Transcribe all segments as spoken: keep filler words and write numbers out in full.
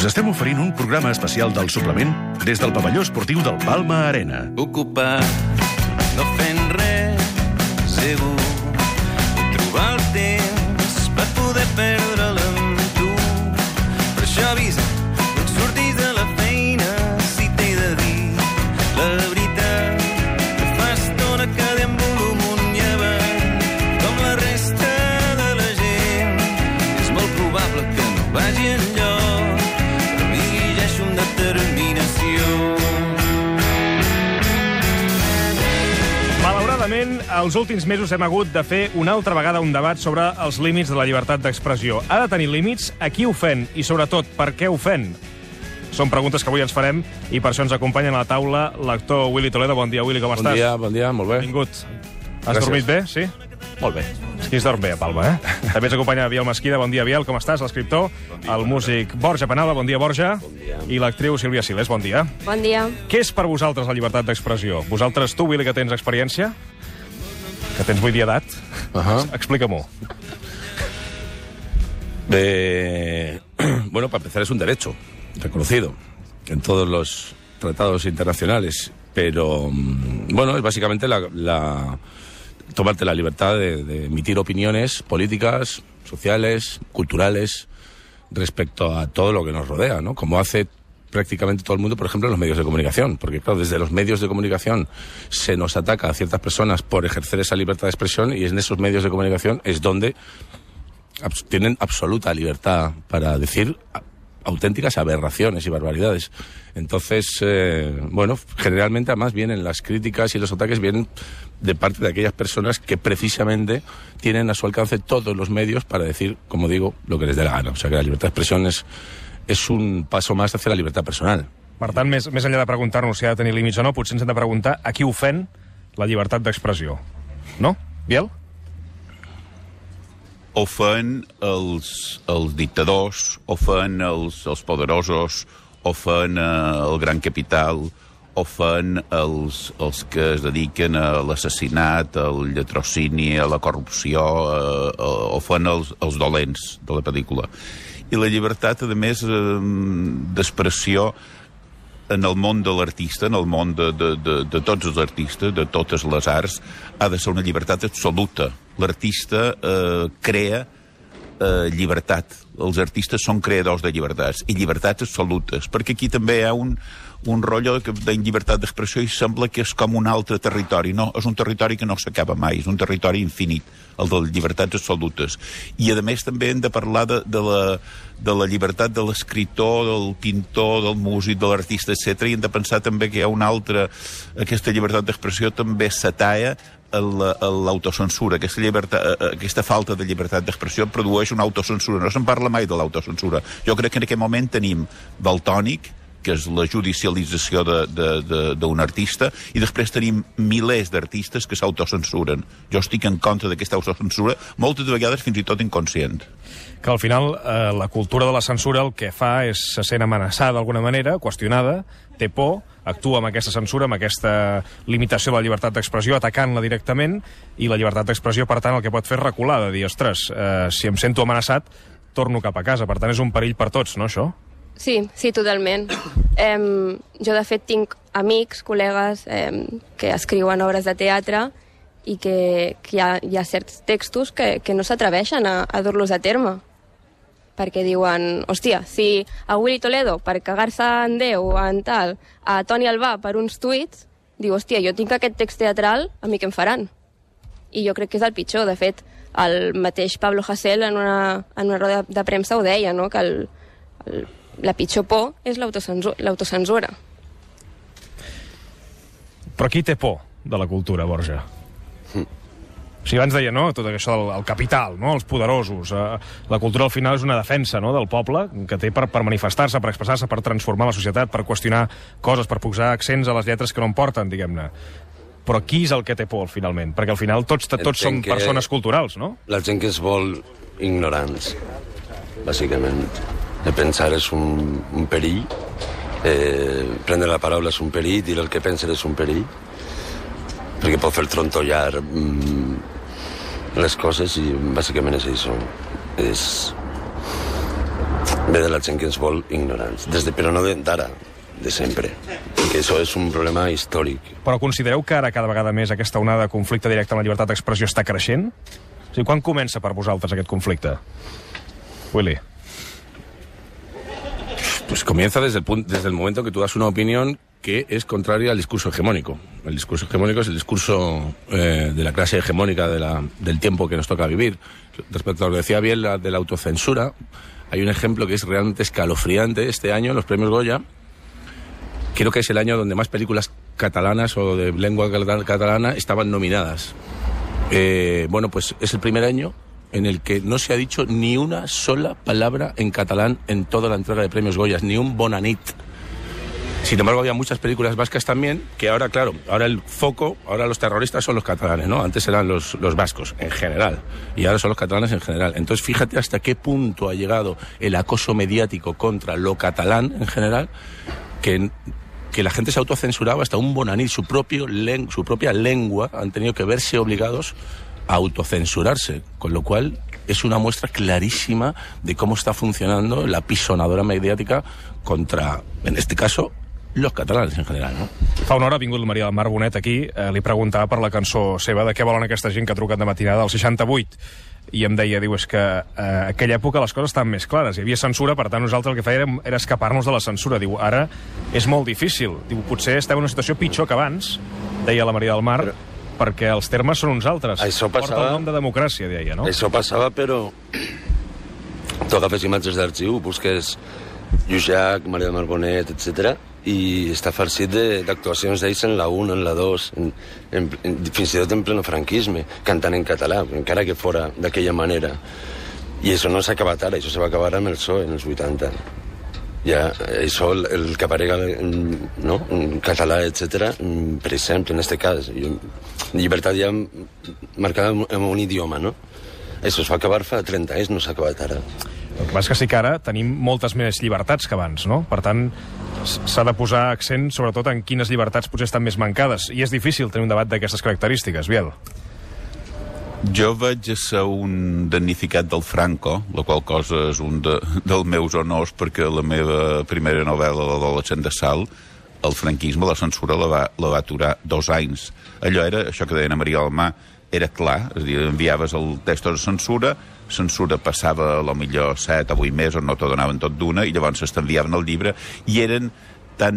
Us estem oferint un programa especial del suplement des del pavelló esportiu del Palma Arena. Ocupat, no fent res, segur. Trobar el temps per poder perdre'l amb tu. Per això avisa, no et surtis de la feina si t'he de dir la veritat. Que fa estona que deambulo amunt i avall, com la resta de la gent. És molt probable que no vagi enlloc, però m'hi llegeixo amb determinació. Malauradament, els últims mesos hem hagut de fer una altra vegada un debat sobre els límits de la llibertat d'expressió. Ha de tenir límits? A qui ofèn? I, sobretot, per què ofèn? Són preguntes que avui ens farem i per això ens acompanya a la taula l'actor Willy Toledo. Bon dia, Willy, com estàs? Bon dia, bon dia, molt bé. Benvingut. Has Gràcies. dormit bé, sí? Molt bé. Aquí es dorm bé, a Palma, eh? També ens acompanya Biel Mesquida. Bon dia, Biel, com estàs? L'escriptor, el músic Borja Penalba. Bon dia, Borja. Bon dia. I l'actriu Sílvia Siles. Bon dia. Bon dia. Què és per vosaltres la llibertat d'expressió? Vosaltres, tu, Willy, que tens experiència? Que tens vuit d'edat? Ajá. Explica-m'ho. De... Bueno, para empezar, es un derecho reconocido en todos los tratados internacionales, pero, bueno, es básicamente la, la... tomarte la libertad de, de emitir opiniones políticas, sociales, culturales, respecto a todo lo que nos rodea, ¿no? Como hace prácticamente todo el mundo, por ejemplo, en los medios de comunicación. Porque, claro, desde los medios de comunicación se nos ataca a ciertas personas por ejercer esa libertad de expresión, y en esos medios de comunicación es donde abs- tienen absoluta libertad para decir a- auténticas aberraciones y barbaridades. Entonces, eh, bueno, generalmente además vienen las críticas y los ataques vienen de parte de aquellas personas que precisamente tienen a su alcance todos los medios para decir, como digo, lo que les dé la gana. O sea que la libertad de expresión es, es un paso más hacia la libertad personal. Per tant, més, més enllà de preguntar-nos si ha de tenir límits o no, potser ens hem de preguntar a qui ofèn la llibertat d'expressió. No? Biel? Ofèn els, els dictadors, ofèn els, els poderosos, ofèn eh, el gran capital, ofèn els, els que es dediquen a l'assassinat, al lletrocini, a la corrupció, eh, eh, ofèn els, els dolents de la pel·lícula. I la llibertat, a més, eh, d'expressió en el món de l'artista, en el món de, de, de, de tots els artistes, de totes les arts, ha de ser una llibertat absoluta. L'artista eh, crea eh, llibertat. Els artistes són creadors de llibertats, i llibertats absolutes, perquè aquí també hi ha un, un rotllo de llibertat d'expressió i sembla que és com un altre territori. No, és un territori que no s'acaba mai, és un territori infinit, el de les llibertats absolutes. I, a més, també hem de parlar de, de, la, de la llibertat de l'escriptor, del pintor, del músic, de l'artista, etcètera. I hem de pensar també que hi ha una altra... Aquesta llibertat d'expressió també s'atalla a l'autocensura. Aquesta, llibertat, aquesta falta de llibertat d'expressió produeix una autocensura. No se'n parla mai de l'autocensura. Jo crec que en aquest moment tenim Valtònic, que és la judicialització d'un artista, i després tenim milers d'artistes que s'autocensuren. Jo estic en contra d'aquesta autocensura, moltes vegades fins i tot inconscient. Que al final eh, la cultura de la censura el que fa és se sent amenaçada d'alguna manera, qüestionada, té por, actua amb aquesta censura, amb aquesta limitació de la llibertat d'expressió, atacant-la directament, i la llibertat d'expressió, per tant, el que pot fer és recular, de dir, ostres, eh, si em sento amenaçat, torno cap a casa. Per tant, és un perill per tots, no, això? Sí, sí, totalment. Eh, jo, de fet, tinc amics, col·legues eh, que escriuen obres de teatre i que, que hi, ha, hi ha certs textos que, que no s'atreveixen a, a dur-los a terme. Perquè diuen, hòstia, si a Willy Toledo, per cagar-se en Déu o en tal, a Toni Albà per uns tuits, diu, hòstia, jo tinc aquest text teatral, a mi què em faran? I jo crec que és el pitjor. De fet, el mateix Pablo Hasél en una, en una roda de premsa ho deia, no?, que el, el la pitjor por és l'autocensura. Però qui té por de la cultura, Borja? Mm. O sigui, abans deia, no?, tot això del el capital, no?, els poderosos. Eh, la cultura, al final, és una defensa, no?, del poble, que té per, per manifestar-se, per expressar-se, per transformar la societat, per qüestionar coses, per posar accents a les lletres que no en porten, diguem-ne. Però qui és el que té por, finalment? Perquè al final tots, tots som persones culturals, no? La gent que es vol ignorants, bàsicament. De pensar és un, un perill, eh, prendre la paraula és un perill, dir el que pensen és un perill, perquè pot fer trontollar mm, les coses, i bàsicament és això. És ve de la gent que ens vol ignorants, des de, però no d'ara, de sempre, perquè això és un problema històric. Però considereu que ara cada vegada més aquesta onada de conflicte directe amb la llibertat d'expressió està creixent? O sigui, quan comença per vosaltres aquest conflicte? Willy. Pues comienza desde el, punto, desde el momento que tú das una opinión que es contraria al discurso hegemónico. El discurso hegemónico es el discurso eh, de la clase hegemónica de la, del tiempo que nos toca vivir. Respecto a lo que decía bien la, de la autocensura, hay un ejemplo que es realmente escalofriante. Este año, los premios Goya, creo que es el año donde más películas catalanas o de lengua catalana estaban nominadas. Eh, bueno, pues es el primer año en el que no se ha dicho ni una sola palabra en catalán en toda la entrega de premios Goyas, ni un bona nit. Sin embargo, había muchas películas vascas también, que ahora, claro, ahora el foco, ahora los terroristas son los catalanes, ¿no? Antes eran los, los vascos, en general, y ahora son los catalanes en general. Entonces, fíjate hasta qué punto ha llegado el acoso mediático contra lo catalán en general, que, que la gente se autocensuraba hasta un bonanit, su, propio len, su propia lengua, han tenido que verse obligados a autocensurarse, con lo cual es una muestra clarísima de cómo está funcionando la pisonadora mediática contra, en este caso, los catalanes en general, no? Fa una hora ha vingut la Maria del Mar Bonet aquí, eh, li preguntava per la cançó seva de què volen aquesta gent que ha trucat de matinada del seixanta-vuit, i em deia, diu, és que eh, aquella època les coses estaven més clares, hi havia censura, per tant nosaltres el que fèiem era escapar-nos de la censura. Diu, ara és molt difícil, diu, potser estem en una situació pitjor que abans, deia la Maria del Mar, però perquè els termes són uns altres. Això passava... Porta el nom de democràcia, deia, no? Això passava, però tu agafes imatges d'arxiu, busques Llujac, Maria del Mar Bonet, etcètera, i està farcit d'actuacions d'ells en la un, en la dos, en, en, en, fins i tot en pleno franquisme, cantant en català, encara que fora d'aquella manera. I això no s'ha acabat ara, això se va acabar amb el P S O E en els vuitanta. Ja, això, el, el que aparega en, no? en català, etcètera, per exemple, en aquest cas, llibertat ja marcada amb un idioma, no? Això es va acabar fa trenta anys, no s'ha acabat ara. El que passa és que sí que ara tenim moltes més llibertats que abans, no? Per tant, s'ha de posar accent sobretot en quines llibertats potser estan més mancades, i és difícil tenir un debat d'aquestes característiques, Biel. Jo vaig ser un damnificat del Franco, la qual cosa és un de, dels meus honors, perquè la meva primera novel·la, l'Adolescent de Sal, el franquisme, la censura, la va, la va aturar dos anys. Allò era, això que deien a Maria del Mar, era clar, és a dir, enviaves el text de censura, censura passava a lo millor set o vuit mesos, no t'ho donaven tot d'una, i llavors t'enviaven el llibre, i eren tan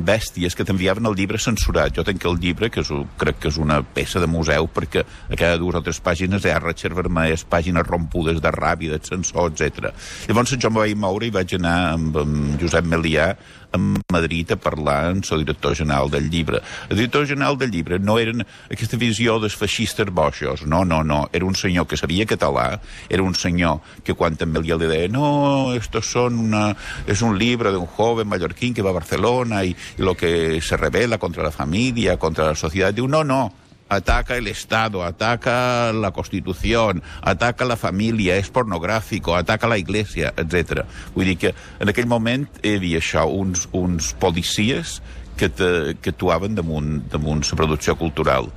bèsties que t'enviaven el llibre censurat. Jo tenc el llibre, que és, crec que és una peça de museu, perquè a cada dues o tres pàgines hi ha ratxes vermelles, pàgines rompudes de ràbia, de censor, etcètera. Llavors jo em vaig moure i vaig anar amb, amb Josep Melià a Madrid a parlar amb el director general del llibre. El director general del llibre no eren aquesta visió dels feixistes boixos, no, no, no. Era un senyor que sabia català, era un senyor que quan també li deia no, esto son una, es un libro de un joven mallorquín que va a Barcelona y, y lo que se revela contra la familia, contra la sociedad. Diu, no, no, ataca el Estado, ataca la Constitución, ataca la familia, és pornográfico, ataca la Iglesia, etcètera. Vull dir que en aquell moment hi havia això, uns, uns policies que, te, que actuaven damunt, damunt la producció cultural.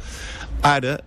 Ara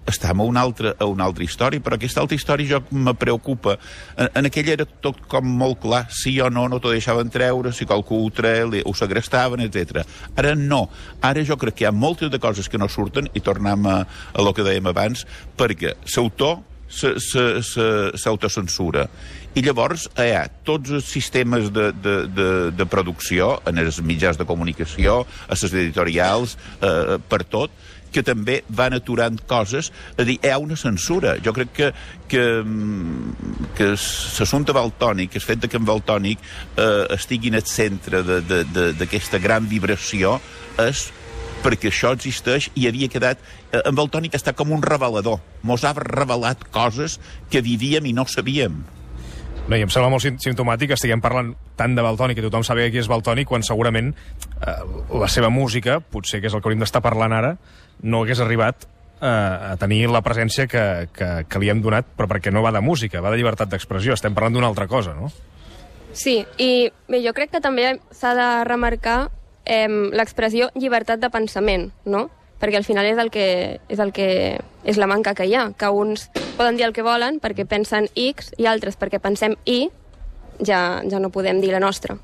estem a una, altra, a una altra història, però aquesta altra història jo me preocupa. En, en aquella era tot com molt clar, sí o no, no t'ho deixaven treure, si qualcú ho treia, ho segrestaven, etcètera. Ara no. Ara jo crec que hi ha moltes de coses que no surten, i tornem a, a lo que dèiem abans, perquè l'autor s'autocensura. I llavors hi ha tots els sistemes de, de, de, de producció, en els mitjans de comunicació, a les editorials, eh, per tot, que també van aturant coses, a dir, hi ha una censura. Jo crec que, que, que l'assumpte Valtònyc, el fet que en Valtònyc eh, estigui en el centre d'aquesta gran vibració, és perquè això existeix i havia quedat... Eh, en Valtònyc està com un revelador. Mos ha revelat coses que vivíem i no sabíem. No, i em sembla molt simptomàtic que estiguem parlant tant de Valtònyc, que tothom sabia qui és Valtònyc, quan segurament eh, la seva música, potser que és el que hauríem d'estar parlant ara, no hagués arribat eh, a tenir la presència que, que, que li hem donat, però perquè no va de música, va de llibertat d'expressió. Estem parlant d'una altra cosa, no? Sí, i bé, jo crec que també s'ha de remarcar eh, l'expressió llibertat de pensament, no? Perquè al final és el que és el que és la manca que hi ha, que uns poden dir el que volen perquè pensen X i altres perquè pensem Y, ja, ja no podem dir la nostra.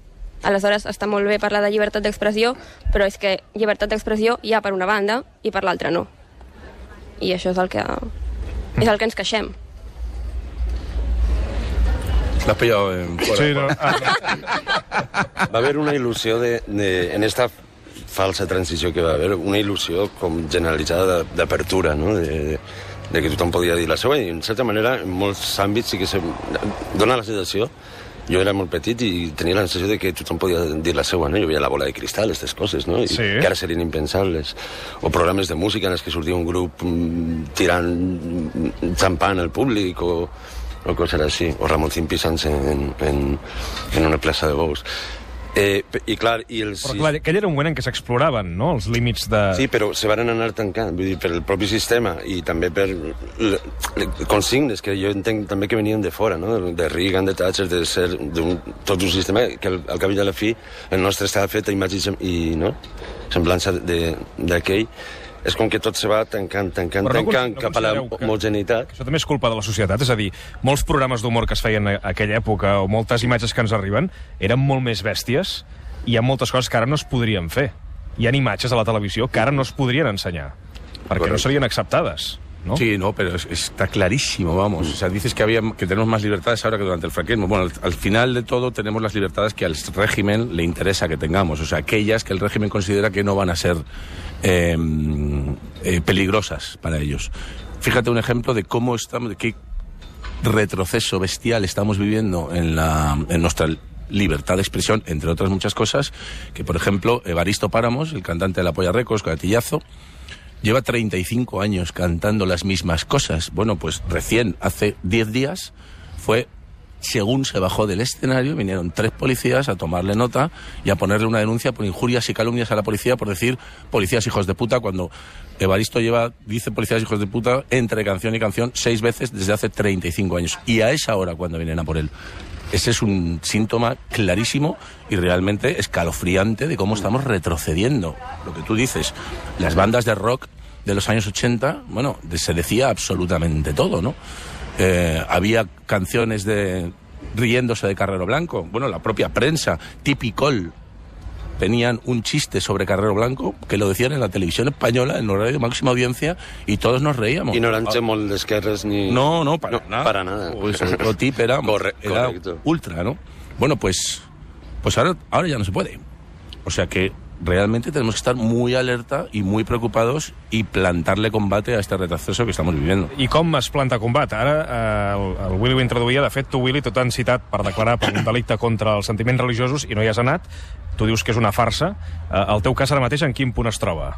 Aleshores, està molt bé parlar de llibertat d'expressió, però és que llibertat d'expressió hi ha per una banda i per l'altra no. I això és el que, és el que ens queixem. L'has pillado en fora. Sí, no. Va haver una il·lusió de, de, en esta falsa transició que va haver, una il·lusió com generalitzada d'apertura, no? de, de que tothom podia dir la seva, i en certa manera en molts àmbits sí que se dona la sensació. Jo era molt petit i tenia la sensació de que tothom podia dir la seva, no? Jo veia La bola de cristal, aquestes coses, no? I sí. que ara serien impensables. O programes de música en els que sortia un grup mm, tirant xampany al públic, o, o coses així. O Ramoncín pisant-se en, en, en una plaça de bous. Eh, I clar, i els... Però clar, aquell era un moment en què s'exploraven, no?, els límits de... Sí, però se van anar tancant, vull dir, per el propi sistema i també per le, le, consignes que jo entenc també que venien de fora, no?, de Reagan, de Thatcher, de ser d'un, tot un sistema que al, al cap i a la fi el nostre estava fet a imatge i, no?, semblança d'aquell. És com que tot se va tancant, tancant, no, tancant no cap a la homogeneïtat. Això també és culpa de la societat, és a dir, molts programes d'humor que es feien a aquella època o moltes imatges que ens arriben eren molt més bèsties i hi ha moltes coses que ara no es podrien fer. Hi ha imatges a la televisió que ara no es podrien ensenyar perquè Correcte. No serien acceptades, ¿no? Sí, no, pero es, está clarísimo, vamos. O sea, dices que había que tenemos más libertades ahora que durante el franquismo. Bueno, al, al final de todo tenemos las libertades que al régimen le interesa que tengamos. O sea, aquellas que el régimen considera que no van a ser eh, eh, peligrosas para ellos. Fíjate un ejemplo de cómo estamos, de qué retroceso bestial estamos viviendo en, la, en nuestra libertad de expresión, entre otras muchas cosas, que por ejemplo Evaristo Páramos, el cantante de La Polla Records, Gatillazo, lleva treinta y cinco años cantando las mismas cosas. Bueno, pues recién, hace diez días, fue, según se bajó del escenario, vinieron tres policías a tomarle nota y a ponerle una denuncia por injurias y calumnias a la policía por decir policías hijos de puta, cuando Evaristo lleva, dice policías hijos de puta, entre canción y canción, seis veces desde hace treinta y cinco años. Y a esa hora cuando vienen a por él. Ese es un síntoma clarísimo y realmente escalofriante de cómo estamos retrocediendo. Lo que tú dices, las bandas de rock de los años ochenta, bueno, se decía absolutamente todo, ¿no? Eh, había canciones de riéndose de Carrero Blanco. Bueno, la propia prensa, Tipicol, tenían un chiste sobre Carrero Blanco que lo decían en la televisión española, en horario de máxima audiencia, y todos nos reíamos. Y no eran molt d'esquerres ni... No, no, para no, nada. Para nada. Pues otro tip era, Corre, era correcto. ultra, ¿no? Bueno, pues, pues ahora, ahora ya no se puede. O sea que realmente tenemos que estar muy alerta y muy preocupados y plantarle combate a este retroceso que estamos viviendo. I com es planta combat? Ara eh, el, el Willy ho introduïa, de fet tu, Willy, tot han citat per declarar per un delicte contra els sentiments religiosos i no hi has anat. Tu dius que és una farsa. Eh, el teu cas ara mateix en quin punt es troba?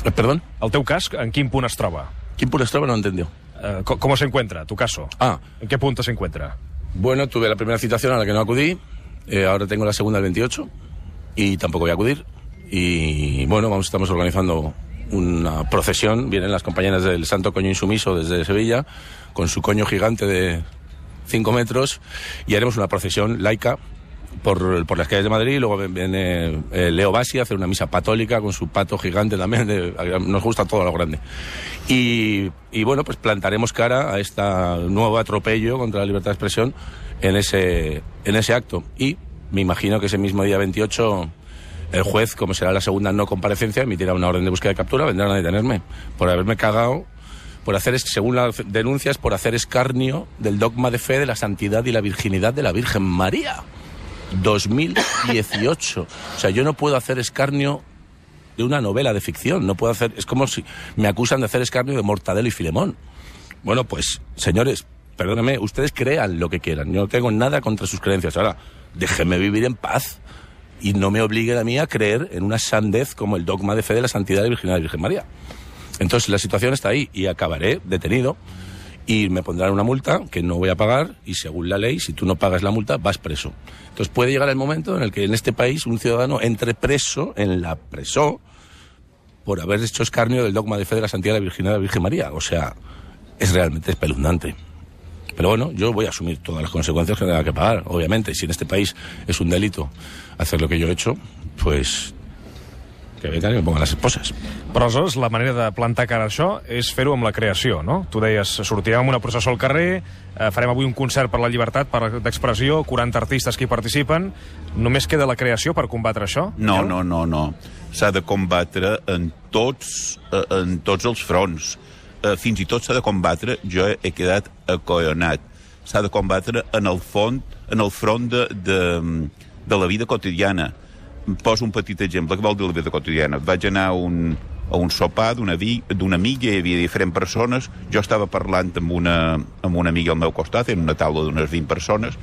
Eh, ¿Perdón? El teu cas en quin punt es troba? ¿Quién por esto no entendió? Eh, com, ¿Cómo se encuentra tu caso? Ah. ¿En qué punto se encuentra? Bueno, tuve la primera citación a la que no acudí, eh, ahora tengo la segunda el veintiocho y tampoco voy a acudir. Y bueno, vamos, estamos organizando una procesión, vienen las compañeras del Santo Coño Insumiso desde Sevilla, con su coño gigante de cinco metros, y haremos una procesión laica por, por las calles de Madrid. Luego viene eh, Leo Bassi a hacer una misa patólica con su pato gigante también, de, nos gusta todo lo grande. Y, y bueno, pues plantaremos cara a este nuevo atropello contra la libertad de expresión en ese, en ese acto. Y me imagino que ese mismo día veintiocho... el juez, como será la segunda no comparecencia, emitirá una orden de búsqueda de captura, vendrán a detenerme por haberme cagado, por hacer, según las denuncias, por hacer escarnio del dogma de fe de la santidad y la virginidad de la Virgen María. dos mil dieciocho. O sea, yo no puedo hacer escarnio de una novela de ficción, no puedo hacer, es como si me acusan de hacer escarnio de Mortadelo y Filemón. Bueno, pues, señores, perdónenme, ustedes crean lo que quieran, yo no tengo nada contra sus creencias. Ahora, déjenme vivir en paz. Y no me obliguen a mí a creer en una sandez como el dogma de fe de la santidad de la Virginidad de Virgen María. Entonces la situación está ahí y acabaré detenido y me pondrán una multa que no voy a pagar y según la ley, si tú no pagas la multa, vas preso. Entonces puede llegar el momento en el que en este país un ciudadano entre preso en la preso por haber hecho escarnio del dogma de fe de la santidad de la Virginidad de la Virgen María. O sea, es realmente espeluznante. Pero bueno, yo voy a asumir todas las consecuencias que tenga que pagar, obviamente. Si en este país es un delito hacer lo que yo he hecho, pues que vengan y me pongan las esposas. Però aleshores la manera de plantar cara a això és fer-ho amb la creació, no? Tu deies, sortirem amb una processó al carrer, eh, farem avui un concert per la llibertat per d'expressió, quaranta artistes que hi participen. Només queda la creació per combatre això? No, no, no, no. S'ha de combatre en tots, en tots els fronts. Fins i tot s'ha de combatre, jo he quedat acollonat, s'ha de combatre en el font, en el front de, de, de la vida quotidiana. Poso un petit exemple. Què vol dir la vida quotidiana? Vaig anar a un, a un sopar d'una amiga, hi havia diferents persones, jo estava parlant amb una, amb una amiga al meu costat, en una taula d'unes vint persones,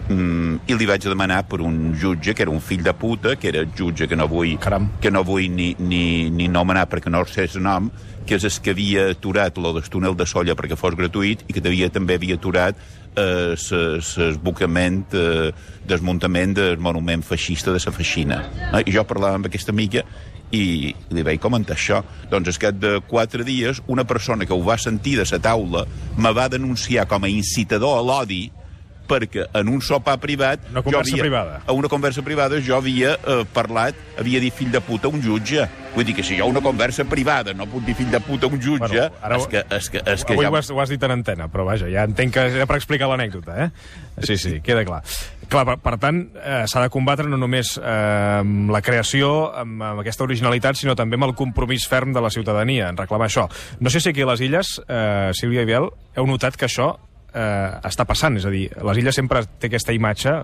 mm, i li vaig demanar per un jutge, que era un fill de puta, que era jutge que no vull, que no vull ni, ni, ni nomenar perquè no sé el nom, que és el que havia aturat lo del túnel de Solla perquè fos gratuït i que havia, també havia aturat l'esbocament, eh, desmuntament del monument feixista de la Feixina. Eh? I jo parlava amb aquesta amiga i li vaig comentar això. Doncs al cap de quatre dies, una persona que ho va sentir de la taula me va denunciar com a incitador a l'odi perquè en un sopar privat... Una conversa havia, privada. A una conversa privada jo havia eh, parlat, havia dit fill de puta a un jutge. Vull dir que si jo una conversa privada no puc dir fill de puta a un jutge... Bueno, ara, és que, és que, és que avui ja... ho has, ho has dit en antena, però vaja, ja entenc que era per explicar l'anècdota, eh? Sí, sí, queda clar. Clar, per, per tant, eh, s'ha de combatre no només eh, amb la creació, amb, amb aquesta originalitat, sinó també amb el compromís ferm de la ciutadania en reclamar això. No sé si aquí a les Illes, eh, Sílvia i Biel, heu notat que això eh, està passant, és a dir, les Illes sempre té aquesta imatge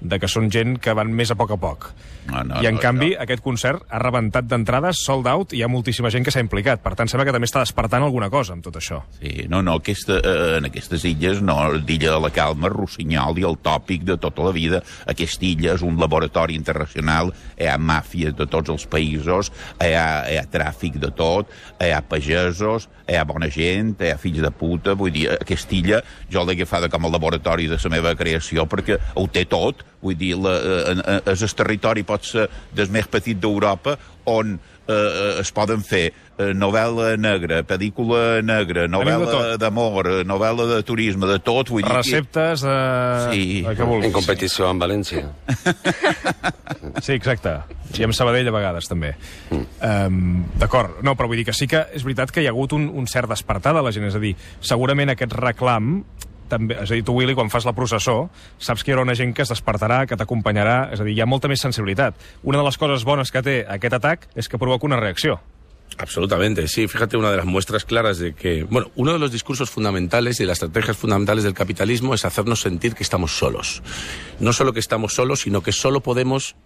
de que són gent que van més a poc a poc. No, no, I en no, canvi no. aquest concert ha rebentat d'entrades, sold out, i hi ha moltíssima gent que s'ha implicat. Per tant, sembla que també està despertant alguna cosa amb tot això. Sí, no, no, aquesta, eh, en aquestes illes, no, l'illa de la Calma, Rossinyol i el tòpic de tota la vida. Aquesta illa és un laboratori internacional, hi ha màfies de tots els països, hi ha, hi ha tràfic de tot, hi ha pagesos, hi ha bona gent, hi ha fills de puta, vull dir, aquesta illa jo l'he agafada com a laboratori de la meva creació perquè ho té tot, vull dir, la, eh, és el territori pot ser del més petit d'Europa on eh, es poden fer eh, novel·la negra, pel·lícula negra, novel·la d'amor, novel·la de turisme, de tot, vull dir... Receptes de... Sí. de què vulguis. En competició amb València. Sí, exacte. I amb Sabadell a vegades, també. Mm. Um, D'acord. No, però vull dir que sí que és veritat que hi ha hagut un, un cert despertar de la gent. És a dir, segurament aquest reclam... També, és a dir, tu, Willy, quan fas la processó, saps que hi haurà una gent que es despertarà, que t'acompanyarà, és a dir, hi ha molta més sensibilitat. Una de les coses bones que té aquest atac és que provoca una reacció. Absolutamente, sí. Fíjate, una de las muestras claras de que... Bueno, uno de los discursos fundamentales y de las estrategias fundamentales del capitalismo es hacernos sentir que estamos solos. No solo que estamos solos, sino que solo podemos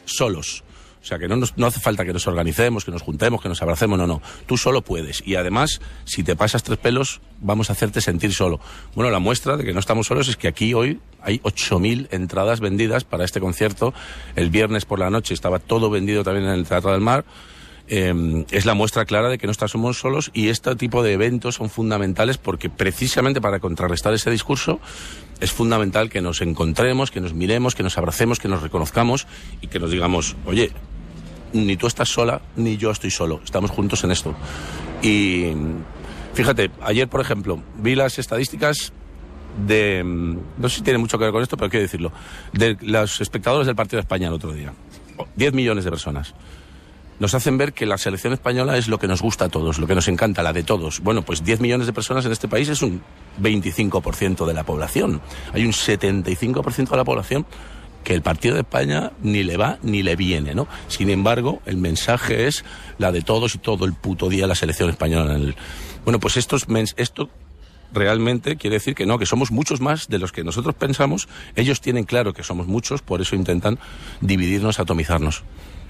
solos. O sea, que no, nos, no hace falta que nos organicemos, que nos juntemos, que nos abracemos, no, no. Tú solo puedes. Y además, si te pasas tres pelos, vamos a hacerte sentir solo. Bueno, la muestra de que no estamos solos es que aquí hoy hay ocho mil entradas vendidas para este concierto. El viernes por la noche estaba todo vendido también en el Teatro del Mar. Eh, es la muestra clara de que no estamos solos, y este tipo de eventos son fundamentales porque precisamente para contrarrestar ese discurso es fundamental que nos encontremos, que nos miremos, que nos abracemos, que nos reconozcamos y que nos digamos, oye, ni tú estás sola, ni yo estoy solo, estamos juntos en esto. Y fíjate, ayer, por ejemplo, vi las estadísticas de, no sé si tiene mucho que ver con esto, pero quiero decirlo, de los espectadores del Partido de España el otro día. diez millones de personas. Nos hacen ver que la selección española es lo que nos gusta a todos, lo que nos encanta, la de todos. Bueno, pues diez millones de personas en este país es un veinticinco por ciento de la población. Hay un setenta y cinco por ciento de la población que el Partido de España ni le va ni le viene, ¿no? Sin embargo, el mensaje es la de todos y todo el puto día la selección española. En el... Bueno, pues esto, es mens... esto realmente quiere decir que no, que somos muchos más de los que nosotros pensamos. Ellos tienen claro que somos muchos, por eso intentan dividirnos, atomizarnos.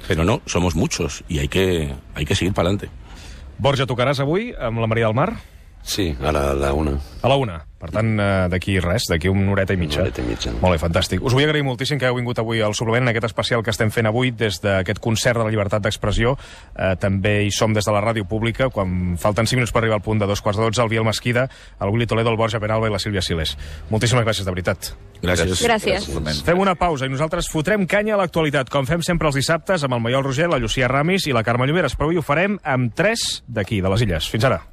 Però no, somos muchos i hay que, hay que seguir para adelante. Borja, tocaràs avui amb la Maria del Mar? Sí, a la, a la una. A la una. Per tant, d'aquí res, d'aquí una horeta i mitja. Una horeta i mitja. Molt bé, fantàstic. Us vull agrair moltíssim que heu vingut avui al suplement en aquest especial que estem fent avui des d'aquest concert de la llibertat d'expressió. Eh, també hi som des de la ràdio pública, quan falten cinc minuts per arribar al punt de dos quarts de dotze, el Biel Mesquida, el Willy Toledo, el Borja Penalba i la Sílvia Siles. Moltíssimes gràcies, de veritat. Gràcies. Gràcies. Fem una pausa i nosaltres fotrem canya a l'actualitat, com fem sempre els dissabtes, amb el Maiol Roger, la Llucia Ramis i la Carme Lloberes, però avui ho farem amb tres d'aquí, de les Illes. Fins ara.